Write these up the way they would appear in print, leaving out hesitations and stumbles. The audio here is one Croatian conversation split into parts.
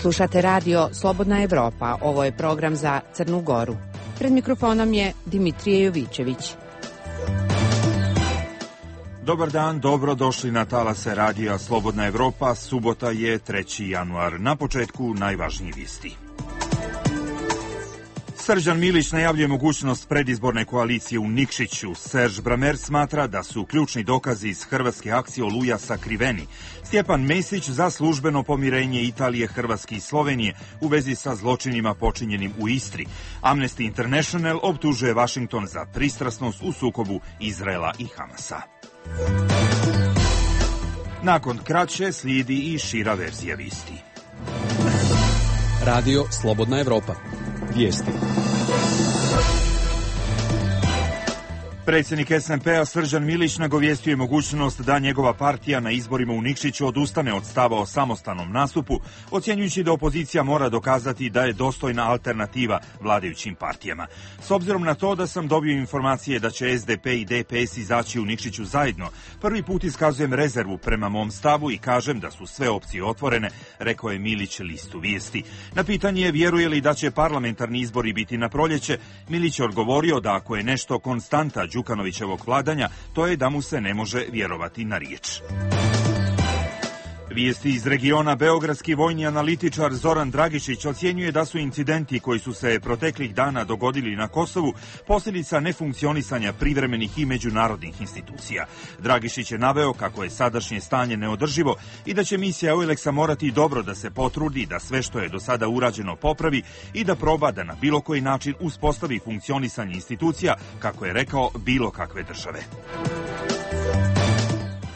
Slušate radio Slobodna Evropa. Ovo je program za Crnu Goru. Pred mikrofonom je Dimitrije Jovićević. Dobar dan, dobro došli na talase radija Slobodna Evropa. Subota je 3. januar. Na početku najvažniji vijesti. Srđan Milić najavljuje mogućnost predizborne koalicije u Nikšiću. Serž Bramer smatra da su ključni dokazi iz hrvatske akcije Oluja sakriveni. Stjepan Mesić za službeno pomirenje Italije, Hrvatske i Slovenije u vezi sa zločinima počinjenim u Istri. Amnesty International optužuje Washington za pristrasnost u sukobu Izraela i Hamasa. Nakon kraće slijedi i šira verzija vijesti. Radio Slobodna Evropa. Vijesti. Predsjednik SMP-a Srđan Milić nagovijestio je mogućnost da njegova partija na izborima u Nikšiću odustane od stava o samostalnom nastupu, ocjenjujući da opozicija mora dokazati da je dostojna alternativa vladajućim partijama. S obzirom na to da sam dobio informacije da će SDP i DPS izaći u Nikšiću zajedno, prvi put iskazujem rezervu prema mom stavu i kažem da su sve opcije otvorene, rekao je Milić listu Vijesti. Na pitanje vjeruje li da će parlamentarni izbori biti na proljeće, Milić je odgovorio da ako je nešto konstanta Đukanovićevog vladanja, to je da mu se ne može vjerovati na riječ. Vijesti iz regiona. Beogradski vojni analitičar Zoran Dragišić ocjenjuje da su incidenti koji su se proteklih dana dogodili na Kosovu posljedica nefunkcionisanja privremenih i međunarodnih institucija. Dragišić je naveo kako je sadašnje stanje neodrživo i da će misija EULEX-a morati dobro da se potrudi da sve što je do sada urađeno popravi i da proba da na bilo koji način uspostavi funkcionisanje institucija, kako je rekao, bilo kakve države.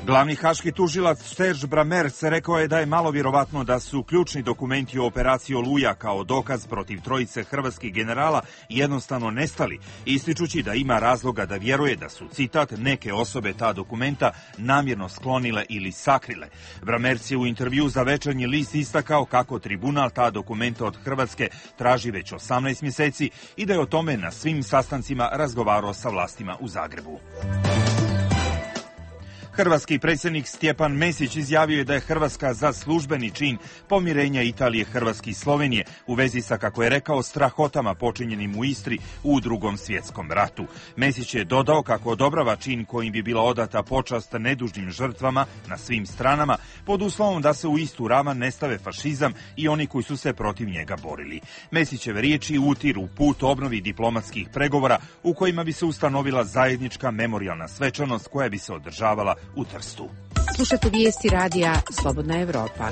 Glavni haški tužilac Serž Bramer rekao je da je malo vjerovatno da su ključni dokumenti o operaciji Oluja kao dokaz protiv trojice hrvatskih generala jednostavno nestali, ističući da ima razloga da vjeruje da su, citat, neke osobe ta dokumenta namjerno sklonile ili sakrile. Bramer je u intervju za Večernji list istakao kako tribunal ta dokumenta od Hrvatske traži već 18 mjeseci i da je o tome na svim sastancima razgovarao sa vlastima u Zagrebu. Hrvatski predsjednik Stjepan Mesić izjavio je da je Hrvatska za službeni čin pomirenja Italije, Hrvatske i Slovenije u vezi sa, kako je rekao, strahotama počinjenim u Istri u Drugom svjetskom ratu. Mesić je dodao kako odobrava čin kojim bi bila odata počast nedužnim žrtvama na svim stranama, pod uslovom da se u istu ravan ne stave fašizam i oni koji su se protiv njega borili. Mesićeve riječi utiru put obnovi diplomatskih pregovora u kojima bi se ustanovila zajednička memorijalna svečanost koja bi se održavala u Trstu. Slušate vijesti radija Slobodna Evropa.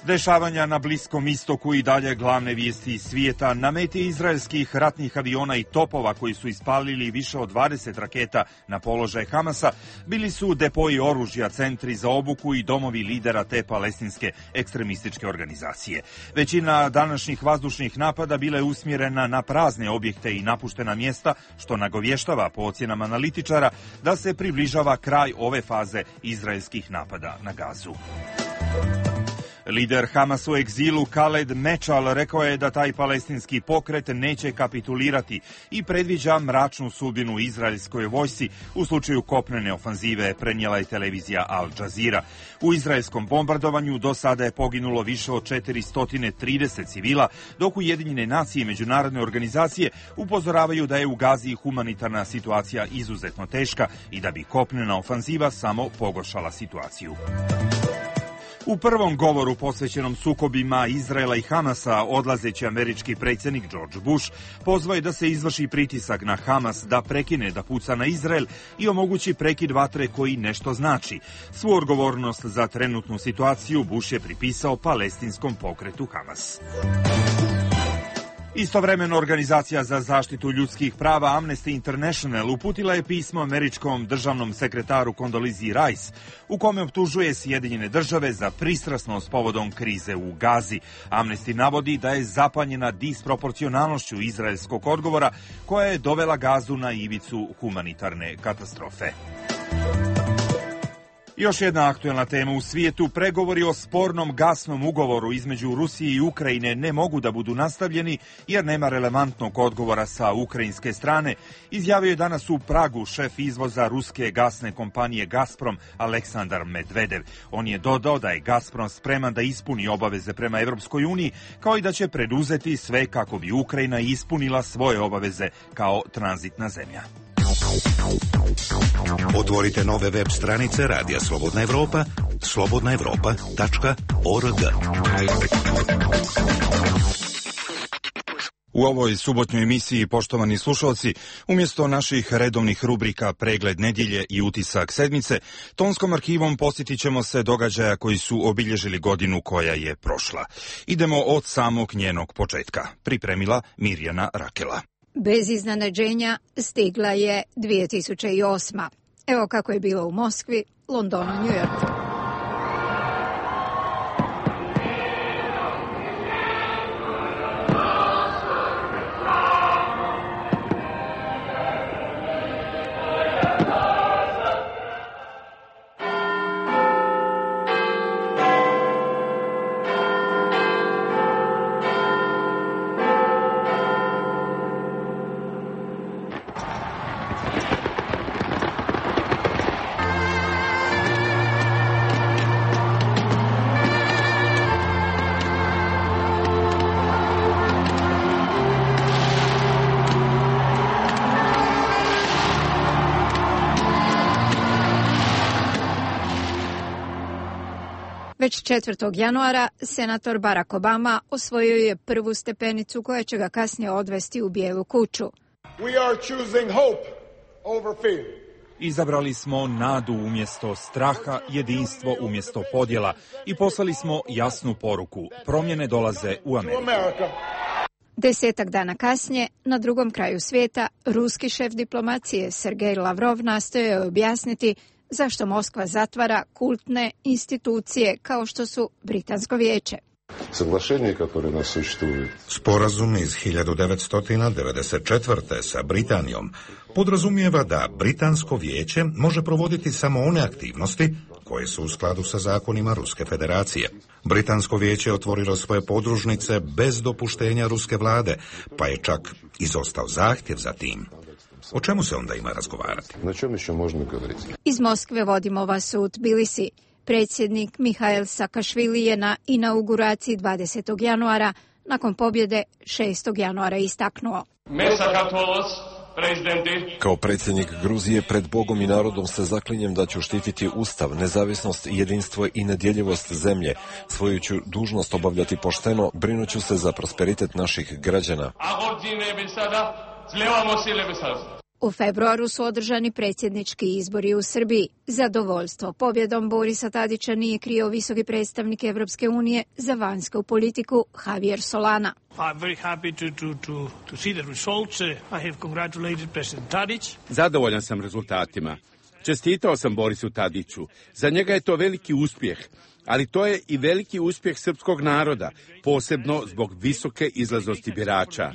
Dešavanja na Bliskom istoku i dalje glavne vijesti iz svijeta. Na meti izraelskih ratnih aviona i topova koji su ispalili više od 20 raketa na položaj Hamasa bili su depoji oružja, centri za obuku i domovi lidera te palestinske ekstremističke organizacije. Većina današnjih vazdušnih napada bila je usmjerena na prazne objekte i napuštena mjesta, što nagovještava po ocjenama analitičara da se približava kraj ove faze izraelskih napada na Gazu. Lider Hamas u egzilu Khaled Mečal rekao je da taj palestinski pokret neće kapitulirati i predviđa mračnu sudbinu izraelskoj vojsci u slučaju kopnene ofanzive, prenijela je televizija Al Jazeera. U izraelskom bombardovanju do sada je poginulo više od 430 civila, dok Ujedinjene nacije i međunarodne organizacije upozoravaju da je u Gazi humanitarna situacija izuzetno teška i da bi kopnena ofanziva samo pogoršala situaciju. U prvom govoru posvećenom sukobima Izraela i Hamasa, odlazeći američki predsjednik George Bush pozvao je da se izvrši pritisak na Hamas da prekine da puca na Izrael i omogući prekid vatre koji nešto znači. Svu odgovornost za trenutnu situaciju Bush je pripisao palestinskom pokretu Hamas. Istovremeno, organizacija za zaštitu ljudskih prava Amnesty International uputila je pismo američkom državnom sekretaru Condoleezza Rice u kome optužuje Sjedinjene države za pristrasnost povodom krize u Gazi. Amnesty navodi da je zapanjena disproporcionalnošću izraelskog odgovora koja je dovela Gazu na ivicu humanitarne katastrofe. Još jedna aktuelna tema u svijetu. Pregovori o spornom gasnom ugovoru između Rusije i Ukrajine ne mogu da budu nastavljeni jer nema relevantnog odgovora sa ukrajinske strane. Izjavio je danas u Pragu šef izvoza ruske gasne kompanije Gazprom Aleksandar Medvedev. On je dodao da je Gazprom spreman da ispuni obaveze prema Evropskoj uniji, kao i da će preduzeti sve kako bi Ukrajina ispunila svoje obaveze kao tranzitna zemlja. Otvorite nove web stranice Radija Slobodna Evropa, slobodnaevropa.org. U ovoj subotnjoj emisiji, poštovani slušalci, umjesto naših redovnih rubrika Pregled nedjelje i Utisak sedmice, tonskom arhivom posjetit ćemo se događaja koji su obilježili godinu koja je prošla. Idemo od samog njenog početka. Pripremila Mirjana Rakela. Bez iznenađenja stigla je 2008. Evo kako je bilo u Moskvi, Londonu, Njujorku. Već 4. januara senator Barack Obama osvojio je prvu stepenicu koja će ga kasnije odvesti u Bijelu kuću. Izabrali smo nadu umjesto straha, jedinstvo umjesto podjela i poslali smo jasnu poruku. Promjene dolaze u Ameriku. 10 dana kasnije, na drugom kraju svijeta, ruski šef diplomacije Sergej Lavrov nastojao je objasniti zašto Moskva zatvara kultne institucije kao što su Britansko vijeće. Sporazum iz 1994. sa Britanijom podrazumijeva da Britansko vijeće može provoditi samo one aktivnosti koje su u skladu sa zakonima Ruske federacije. Britansko vijeće je otvorilo svoje podružnice bez dopuštenja ruske vlade, pa je čak izostao zahtjev za tim. O čemu se onda ima razgovarati? Iz Moskve vodimo vas u Tbilisi. Predsjednik Mihail Sakašvili je na inauguraciji 20. januara nakon pobjede 6. januara istaknuo. Kao predsjednik Gruzije pred Bogom i narodom se zaklinjem da ću štititi ustav, nezavisnost, jedinstvo i nedjeljivost zemlje. Svoju ću dužnost obavljati pošteno, brinuću se za prosperitet naših građana. U februaru su održani predsjednički izbori u Srbiji. Zadovoljstvo pobjedom Borisa Tadića nije krio visoki predstavnik Evropske unije za vanjsku politiku Javier Solana. Zadovoljan sam rezultatima. Čestitao sam Borisu Tadiću. Za njega je to veliki uspjeh, ali to je i veliki uspjeh srpskog naroda, posebno zbog visoke izlaznosti birača.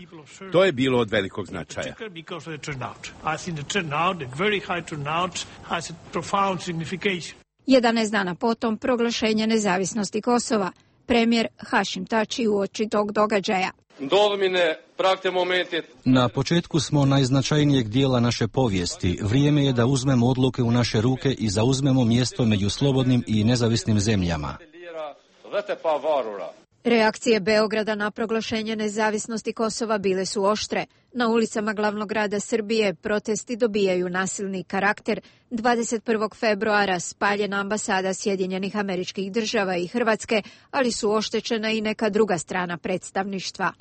To je bilo od velikog značaja. 11 dana potom proglašenje nezavisnosti Kosova. Premijer Hašim Tači uoči tog događaja. Na početku smo najznačajnijeg dijela naše povijesti. Vrijeme je da uzmemo odluke u naše ruke i zauzmemo mjesto među slobodnim i nezavisnim zemljama. Reakcije Beograda na proglašenje nezavisnosti Kosova bile su oštre. Na ulicama glavnog grada Srbije protesti dobijaju nasilni karakter. 21. februara spaljena ambasada Sjedinjenih Američkih Država i Hrvatske, ali su oštećena i neka druga strana predstavništva.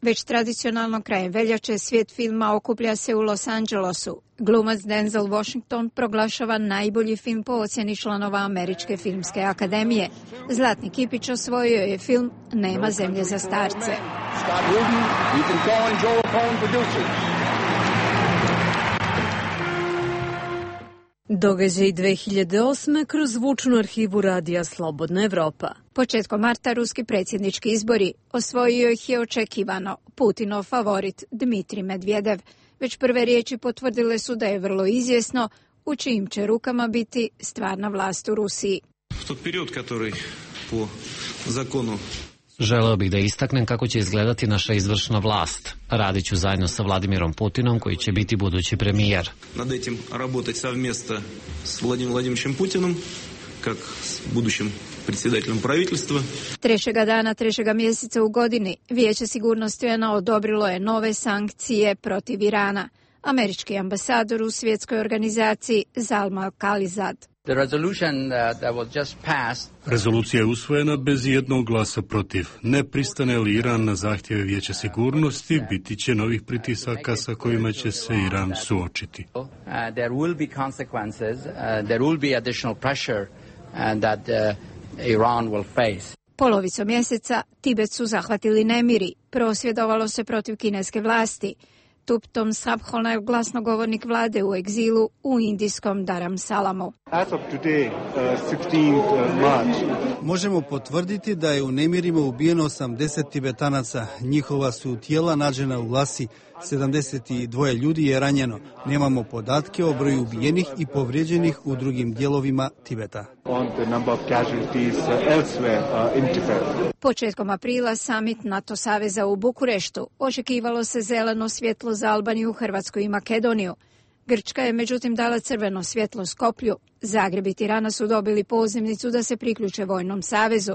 Već tradicionalno krajem veljače svijet filma okuplja se u Los Angelesu. Glumac Denzel Washington proglašava najbolji film po ocjeni članova Američke filmske akademije. Zlatni kipić osvojio je film Nema zemlje za starce. Događaj 2008. kroz zvučnu arhivu radija Slobodna Evropa. Početkom marta ruski predsjednički izbori osvojio ih je očekivano Putinov favorit Dmitrij Medvedev. Već prve riječi potvrdile su da je vrlo izvjesno u čijim će rukama biti stvarna vlast u Rusiji. Želeo bih da istaknem kako će izgledati naša izvršna vlast. Radit ću zajedno sa Vladimirom Putinom, koji će biti budući premijer. Nad etim raditi savmjesto s Vladimirom Vladimirovićem Putinom, как s budućim predsjedateljem правительства. Trećega dana, trećega mjeseca u godini, Vijeće sigurnosti UN-a odobrilo je nove sankcije protiv Irana. Američki ambasador u svjetskoj organizaciji Zalmal Khalilzad. Rezolucija je usvojena bez jednog glasa protiv. Ne pristane li Iran na zahtjeve Vijeća sigurnosti, biti će novih pritisaka sa kojima će se Iran suočiti. Polovicom mjeseca Tibet su zahvatili nemiri. Prosvjedovalo se protiv kineske vlasti. Thuptom Sabhona je glasnogovornik vlade u egzilu u indijskom Dharamsalamu. Možemo potvrditi da je u nemirima ubijeno 80 Tibetanaca. Njihova su tijela nađena u Lasi. 72 ljudi je ranjeno. Nemamo podatke o broju ubijenih i povrijeđenih u drugim dijelovima Tibeta. Početkom aprila summit NATO saveza u Bukureštu. Očekivalo se zeleno svjetlo za Albaniju, Hrvatsku i Makedoniju. Grčka je međutim dala crveno svjetlo Skoplju. Zagreb i Tirana su dobili pozivnicu da se priključe vojnom savezu,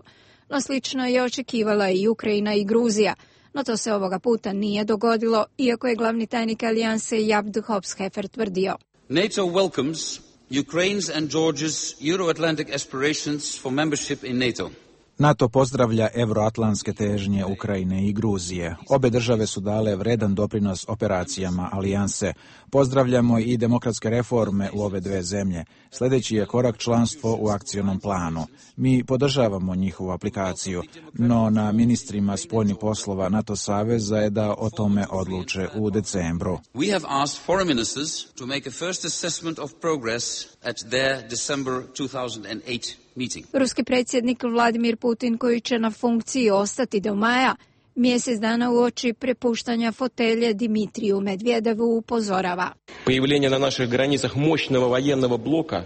no slično je očekivala i Ukrajina i Gruzija. No to se ovoga puta nije dogodilo, iako je glavni tajnik alijanse Jabd Hopshefer tvrdio. NATO welcomes Ukraine's and Georgia's Euro-Atlantic aspirations for membership in NATO. NATO pozdravlja euroatlantske težnje Ukrajine i Gruzije. Obe države su dale vredan doprinos operacijama alijanse. Pozdravljamo i demokratske reforme u ove dve zemlje. Sljedeći je korak članstvo u akcionom planu. Mi podržavamo njihovu aplikaciju, no na ministrima spoljnih poslova NATO saveza je da o tome odluče u decembru. We have asked foreign ministers to make a first assessment of progress at their December 2008 meeting. Ruski predsjednik Vladimir Putin, koji će na funkciji ostati do maja, mjesec dana uoči prepuštanja fotelje Dmitriju Medvedevu upozorava. Появление на наших границах мощного военного блока.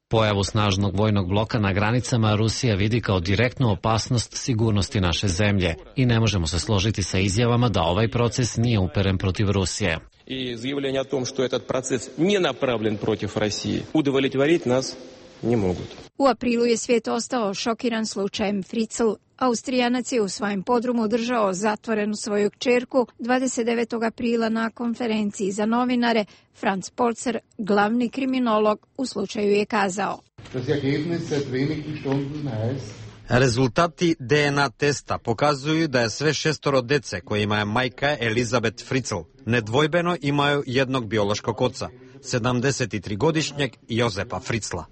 Pojavu snažnog vojnog bloka na granicama Rusija vidi kao direktnu opasnost sigurnosti naše zemlje i ne možemo se složiti sa izjavama da ovaj proces nije uperen protiv Rusije. И заявление о том, что этот процесс не направлен против России, удовлетворить нас не могут. U aprilu je svijet ostao šokiran slučajem Fritzl. Austrijanac je u svojem podrumu držao zatvorenu svoju kćerku. 29. aprila na konferenciji za novinare Franz Polzer, glavni kriminolog u slučaju, je kazao: Rezultati DNA testa pokazuju da je sve šestoro dece kojima je majka Elizabeth Fritzl nedvojbeno imaju jednog biološkog oca, 73-godišnjeg Josepa Fritzla.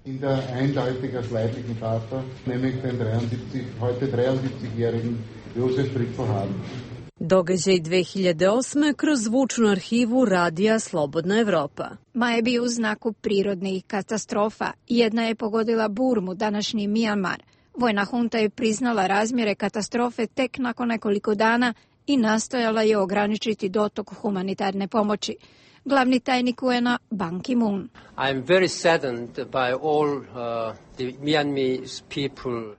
Događaj 2008. kroz zvučnu arhivu radija Slobodna Evropa. Maj bi u znaku prirodnih katastrofa. Jedna je pogodila Burmu, današnji Mijanmar. Vojna hunta je priznala razmjere katastrofe tek nakon nekoliko dana i nastojala je ograničiti dotok humanitarne pomoći. Glavni tajnik UN-a Ban Ki-moon.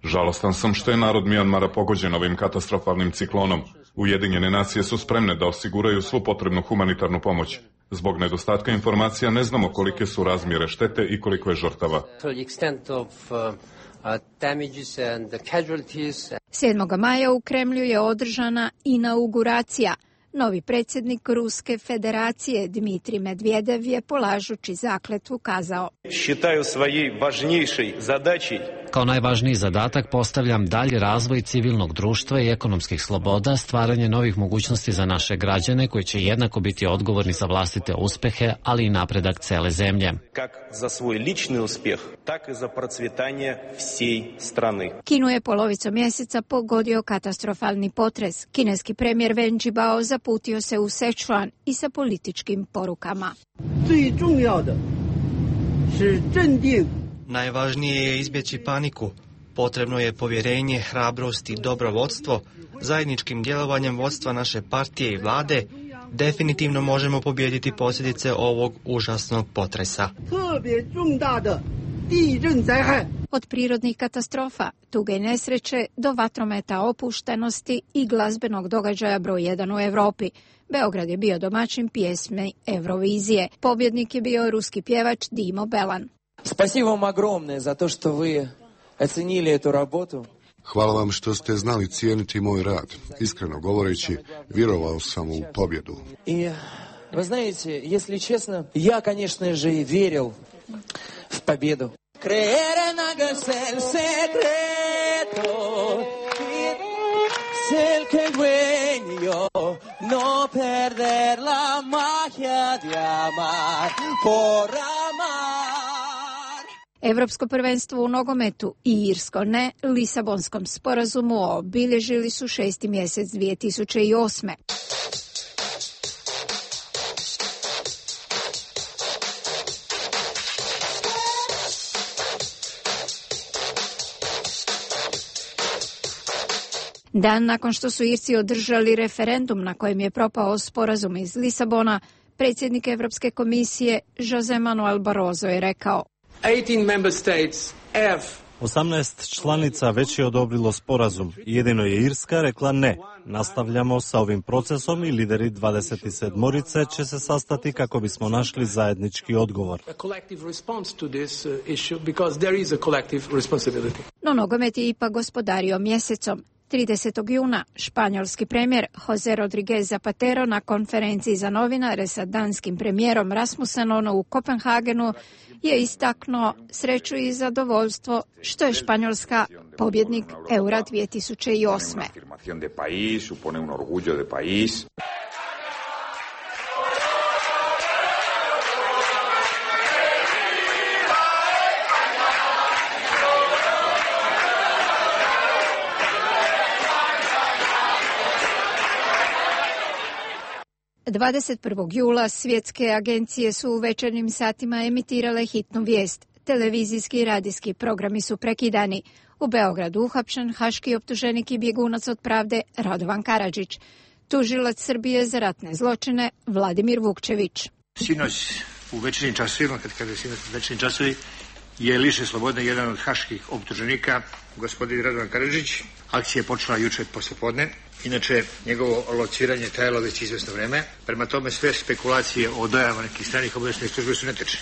Žalostan sam što je narod Mijanmara pogođen ovim katastrofalnim ciklonom. Ujedinjene nacije su spremne da osiguraju svu potrebnu humanitarnu pomoć. Zbog nedostatka informacija ne znamo kolike su razmjere štete i koliko je žrtava. 7. maja u Kremlju je održana inauguracija. Novi predsjednik Ruske federacije Dmitrij Medvedev je polažući zakletvu kazao: Kao najvažniji zadatak postavljam dalji razvoj civilnog društva i ekonomskih sloboda, stvaranje novih mogućnosti za naše građane koji će jednako biti odgovorni za vlastite uspehe, ali i napredak cele zemlje. Kinu je polovicom mjeseca pogodio katastrofalni potres. Kineski premijer Wen Jiabao zaputio se u Sichuan i sa političkim porukama. Najvažnije je izbjeći paniku. Potrebno je povjerenje, hrabrost i dobro vodstvo. Zajedničkim djelovanjem vodstva naše partije i vlade definitivno možemo pobijediti posljedice ovog užasnog potresa. Od prirodnih katastrofa, tuge i nesreće do vatrometa, opuštenosti i glazbenog događaja broj 1 u Europi. Beograd je bio domaćin pjesme Eurovizije. Pobjednik je bio ruski pjevač Dimo Belan. Спасибо вам огромное за то, что вы оценили эту работу. Hvala vam što ste znali cijeniti moj rad. Iskreno govoreći, vjerovao sam u pobjedu. И вы знаете, если честно, я, конечно же, и верил в победу. Creer en hagas el secreto, el que dueño, no perder la magia de amar por amar. Evropsko prvenstvo u nogometu i irsko ne Lisabonskom sporazumu obilježili su 6. mjesec 2008. Dan nakon što su Irci održali referendum na kojem je propao sporazum iz Lisabona, predsjednik Europske komisije José Manuel Barroso je rekao: 18 članica već je odobrilo sporazum. Jedino je Irska rekla ne. Nastavljamo sa ovim procesom i lideri 27-orice će se sastati kako bismo našli zajednički odgovor. No nogomet je ipak gospodario mjesecom. 30. juna španjolski premijer José Rodríguez Zapatero na konferenciji za novinare sa danskim premijerom Rasmussenom u Kopenhagenu je istaknuo sreću i zadovoljstvo što je Španjolska pobjednik Eura 2008. 21. jula svjetske agencije su u večernjim satima emitirale hitnu vijest. Televizijski i radijski programi su prekidani. U Beogradu uhapšen haški optuženik i bjegunac od pravde Radovan Karadžić. Tužilac Srbije za ratne zločine Vladimir Vukčević. Sinoć u večernjim časovima, kad kaže sinoć u večernjim časovima, je lišen slobode jedan od haških optuženika, gospodin Radovan Karadžić. Akcija je počela jučer poslijepodne. Inače, njegovo lociranje trajalo već izvjesno vreme. Prema tome, sve spekulacije o dojavama nekih stranih obavještajnih službi su netočne.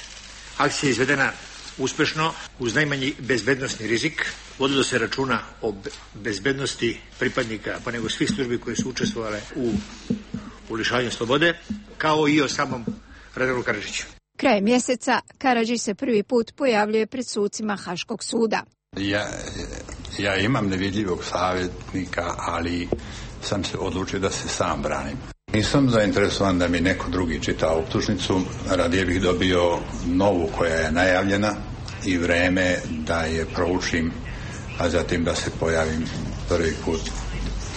Akcija je izvedena uspješno, uz najmanji bezbednosni rizik. Vodilo se računa o bezbednosti pripadnika, pa nego svih službi koje su učestvovale u lišavanju slobode, kao i o samom Radovanu Karadžiću. Krajem mjeseca Karadžić se prvi put pojavljuje pred sucima Haškog suda. Ja imam nevidljivog savjetnika, ali sam se odlučio da se sam branim. Nisam zainteresovan da mi neko drugi čita optužnicu, radije bih dobio novu koja je najavljena i vreme da je proučim, a zatim da se pojavim prvi put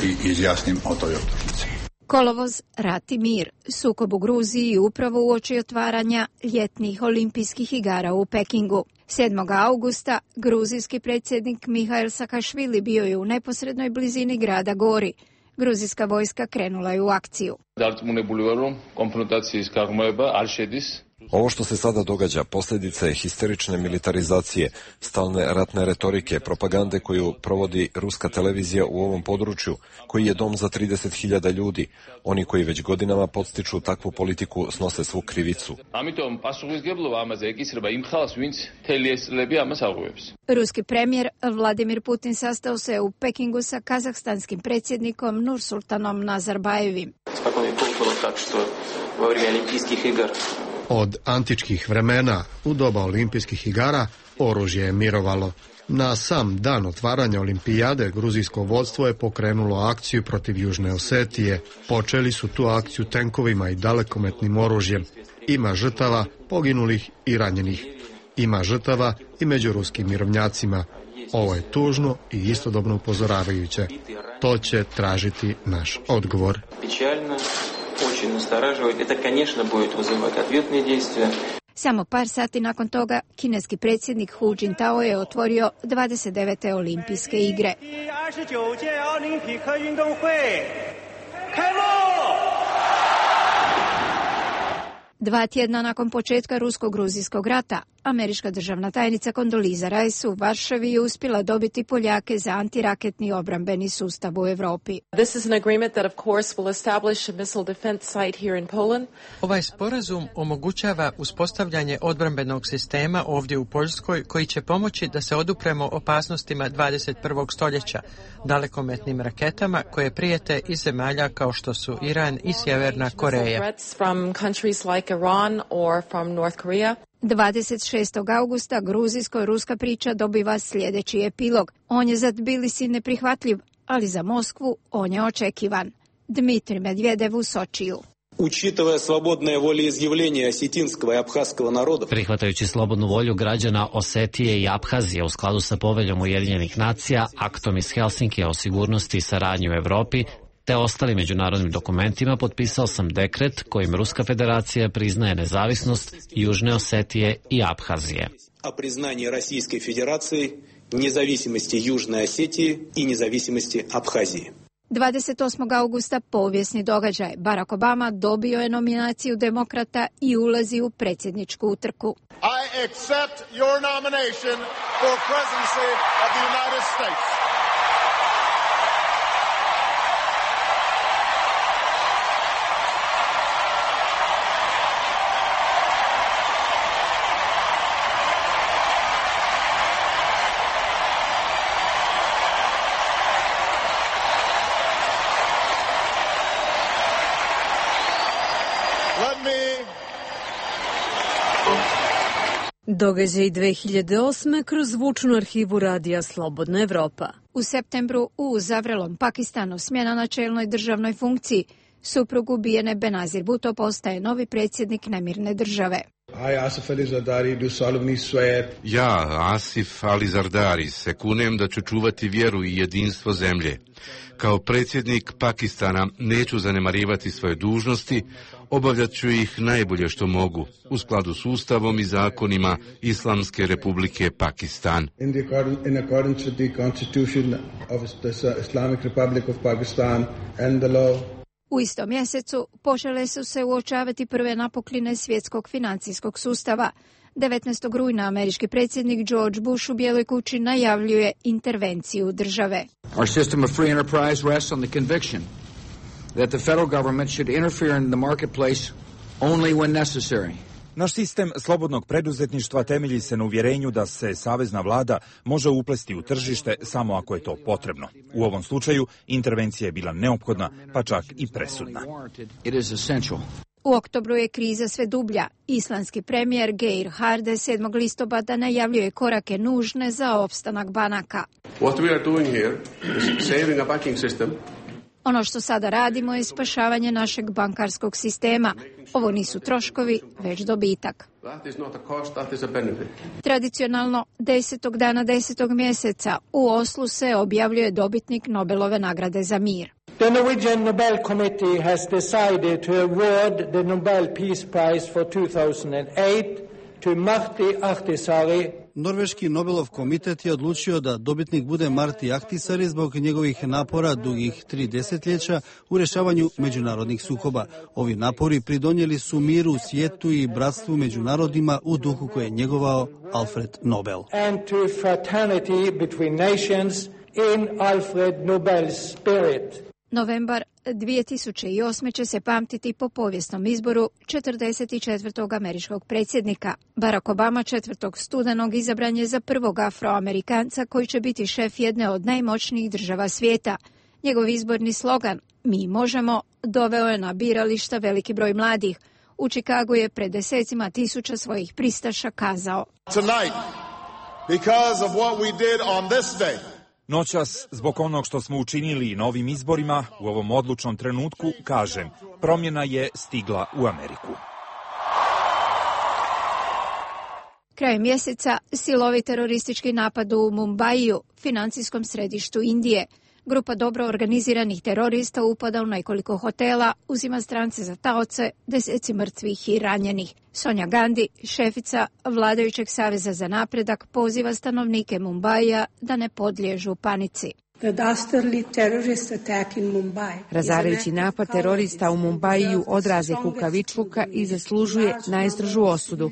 i izjasnim o toj optužnici. Kolovoz, rat i mir, sukob u Gruziji upravo uoči otvaranja ljetnih olimpijskih igara u Pekingu. 7. augusta gruzijski predsjednik Mihail Sakašvili bio je u neposrednoj blizini grada Gori. Gruzijska vojska krenula je u akciju. Ovo što se sada događa posljedica je histerične militarizacije, stalne ratne retorike, propagande koju provodi ruska televizija u ovom području, koji je dom za 30.000 ljudi. Oni koji već godinama podstiču takvu politiku snose svu krivicu. Ruski premijer Vladimir Putin sastao se u Pekingu sa kazahstanskim predsjednikom Nursultanom Nazarbajevim. Od antičkih vremena, u doba olimpijskih igara, oružje je mirovalo. Na sam dan otvaranja olimpijade, gruzijsko vodstvo je pokrenulo akciju protiv Južne Osetije. Počeli su tu akciju tenkovima i dalekometnim oružjem. Ima žrtava, poginulih i ranjenih. Ima žrtava i među ruskim mirovnjacima. Ovo je tužno i istodobno upozoravajuće. To će tražiti naš odgovor. Samo par sati nakon toga, kineski predsjednik Hu Jintao je otvorio 29. olimpijske igre. 2 tjedna nakon početka rusko-gruzijskog rata, američka državna tajnica Kondoliza Rice u Varšavi je uspjela dobiti Poljake za antiraketni obrambeni sustav u Europi. Ovaj sporazum omogućava uspostavljanje odbrambenog sistema ovdje u Poljskoj koji će pomoći da se odupremo opasnostima 21. stoljeća, dalekometnim raketama koje prijete iz zemalja kao što su Iran i Sjeverna Koreja. 26. augusta gruzijsko-ruska priča dobiva sljedeći epilog. On je za Tbilisi neprihvatljiv, ali za Moskvu on je očekivan. Dmitrij Medvedev u Sočiju. Prihvatajući slobodnu volju građana Osetije i Abhazije u skladu sa poveljom Ujedinjenih nacija, aktom iz Helsinkija o sigurnosti i saradnji u Europi, te ostalim međunarodnim dokumentima, potpisao sam dekret kojim Ruska federacija priznaje nezavisnost Južne Osetije i Abhazije. O priznanju Rusijske federacije, nezavisnosti Južne Osetije i nezavisnosti Abhazije. 28. augusta povijesni događaj. Barack Obama dobio je nominaciju demokrata i ulazi u predsjedničku utrku. I accept your nomination for presidency of the United States. Događaj 2008. kroz zvučnu arhivu Radija Slobodna Evropa. U septembru u Zavrelom Pakistanu smjena na čelnoj državnoj funkciji. Suprug ubijene Benazir Bhutto postaje novi predsjednik nemirne države. Ja, Asif Ali Zardari, se kunem da ću čuvati vjeru i jedinstvo zemlje. Kao predsjednik Pakistana neću zanemarivati svoje dužnosti, obavljat ću ih najbolje što mogu, u skladu s Ustavom i zakonima Islamske republike Pakistan. In accordance with the Constitution of the Islamic Republic of Pakistan and the law. U istom mjesecu počele su se uočavati prve napukline svjetskog financijskog sustava. 19. rujna američki predsjednik George Bush u Bijeloj kući najavljuje intervenciju države. Our system of free enterprise rests on the conviction that the federal government should interfere in the marketplace only when necessary. Naš sistem slobodnog preduzetništva temelji se na uvjerenju da se savezna vlada može uplesti u tržište samo ako je to potrebno. U ovom slučaju intervencija je bila neophodna, pa čak i presudna. U oktobru je kriza sve dublja. Islandski premijer Geir Haarde 7. listopada najavljuje korake nužne za opstanak banaka. What we are doing here is saving a banking system. Ono što sada radimo je spašavanje našeg bankarskog sistema. Ovo nisu troškovi, već dobitak. Tradicionalno 10. dana 10. mjeseca u Oslu se objavljuje dobitnik Nobelove nagrade za mir. The Norwegian Nobel Committee has decided to award the Nobel Peace Prize for 2008 to Martti Ahtisaari. Norveški Nobelov komitet je odlučio da dobitnik bude Martti Ahtisaari zbog njegovih napora dugih 3 desetljeća u rješavanju međunarodnih sukoba. Ovi napori pridonijeli su miru u svijetu i bratstvu među narodima u duhu koje je njegovao Alfred Nobel. And to fraternity between nations in Alfred Nobel's spirit. Novembar 2008. će se pamtiti po povijesnom izboru 44. američkog predsjednika. Barack Obama 4. studenog izabran je za prvog Afroamerikanca koji će biti šef jedne od najmoćnijih država svijeta. Njegov izborni slogan "Mi možemo" doveo je na birališta veliki broj mladih. U Čikagu je pred desecima tisuća svojih pristaša kazao: Tonight, because of what we did on this day, noćas, zbog onog što smo učinili na ovim izborima, u ovom odlučnom trenutku, kažem, promjena je stigla u Ameriku. Krajem mjeseca silovi teroristički napad u Mumbaiju, financijskom središtu Indije. Grupa dobro organiziranih terorista upada u nekoliko hotela, uzima strance za taoce, deseci mrtvih i ranjenih. Sonja Gandhi, šefica vladajućeg Saveza za napredak, poziva stanovnike Mumbaija da ne podliježu panici. Razarajući napad terorista u Mumbaiju odraz je kukavičluka i zaslužuje najstrožu osudu.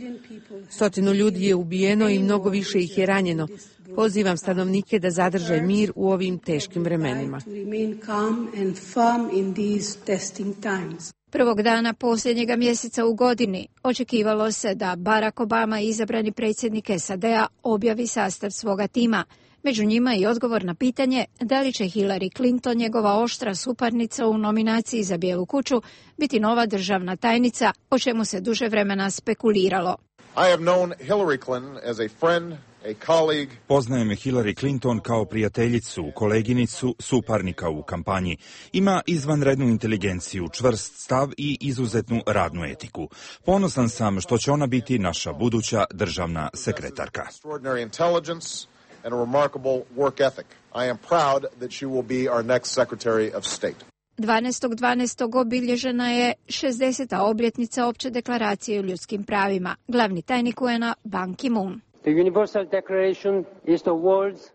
100 ljudi je ubijeno i mnogo više ih je ranjeno. Pozivam stanovnike da zadrže mir u ovim teškim vremenima. Prvog dana posljednjega mjeseca u godini očekivalo se da Barack Obama, izabrani predsjednik SAD-a, objavi sastav svoga tima. Među njima i odgovor na pitanje da li će Hillary Clinton, njegova oštra suparnica u nominaciji za Bijelu kuću, biti nova državna tajnica, o čemu se duže vremena spekuliralo. I have known Hillary Clinton as a friend, a colleague. Poznajem Hillary Clinton kao prijateljicu, koleginicu, suparnika u kampanji. Ima izvanrednu inteligenciju, čvrst stav i izuzetnu radnu etiku. Ponosan sam što će ona biti naša buduća državna sekretarka. And a remarkable work ethic. I am proud that she will be our next Secretary of State. 12.12. obilježena je 60. obljetnica Opće deklaracije o ljudskim pravima. Glavni tajnik UN-a Ban Ki-moon.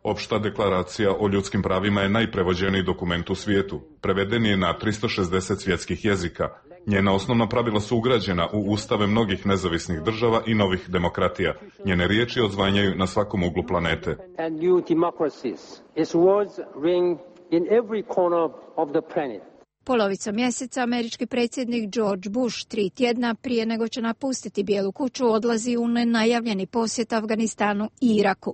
Opšta deklaracija o ljudskim pravima je najprevođeniji dokument u svijetu. Preveden je na 360 svjetskih jezika. Njena osnovna pravila su ugrađena u ustave mnogih nezavisnih država i novih demokratija. Njene riječi odzvanjaju na svakom uglu planete. Polovicom mjeseca američki predsjednik George Bush 3 tjedna prije nego će napustiti Bijelu kuću odlazi u nenajavljeni posjet Afganistanu i Iraku.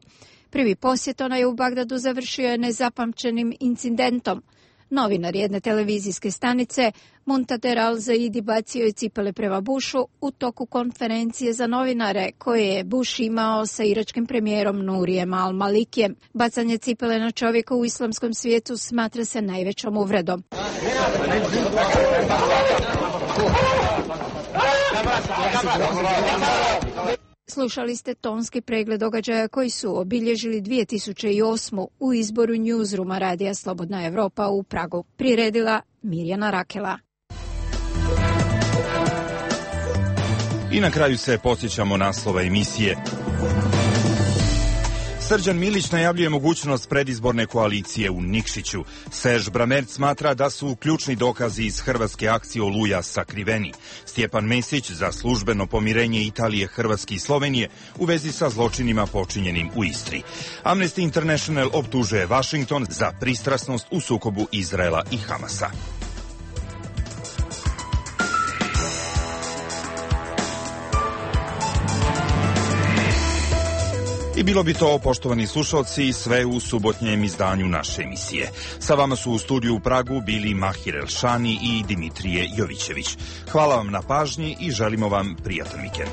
Prvi posjet onaj u Bagdadu završio je nezapamćenim incidentom. Novinar jedne televizijske stanice, Muntader al-Zaidi, bacio je cipele prema Bushu u toku konferencije za novinare koje je Bush imao sa iračkim premijerom Nurijem al-Malikijem. Bacanje cipele na čovjeka u islamskom svijetu smatra se najvećom uvredom. Slušali ste tonski pregled događaja koji su obilježili 2008. u izboru Newsrooma Radija Slobodna Evropa u Pragu. Priredila Mirjana Rakela. I na kraju se podsjećamo naslova emisije. Srđan Milić najavljuje mogućnost predizborne koalicije u Nikšiću. Serž Bramerc smatra da su ključni dokazi iz hrvatske akcije Oluja sakriveni. Stjepan Mesić za službeno pomirenje Italije, Hrvatske i Slovenije u vezi sa zločinima počinjenim u Istri. Amnesty International optužuje Washington za pristrasnost u sukobu Izraela i Hamasa. I bilo bi to, poštovani slušalci, sve u subotnjem izdanju naše emisije. Sa vama su u studiju u Pragu bili Mahir Elšani i Dimitrije Jovićević. Hvala vam na pažnji i želimo vam prijatan vikend.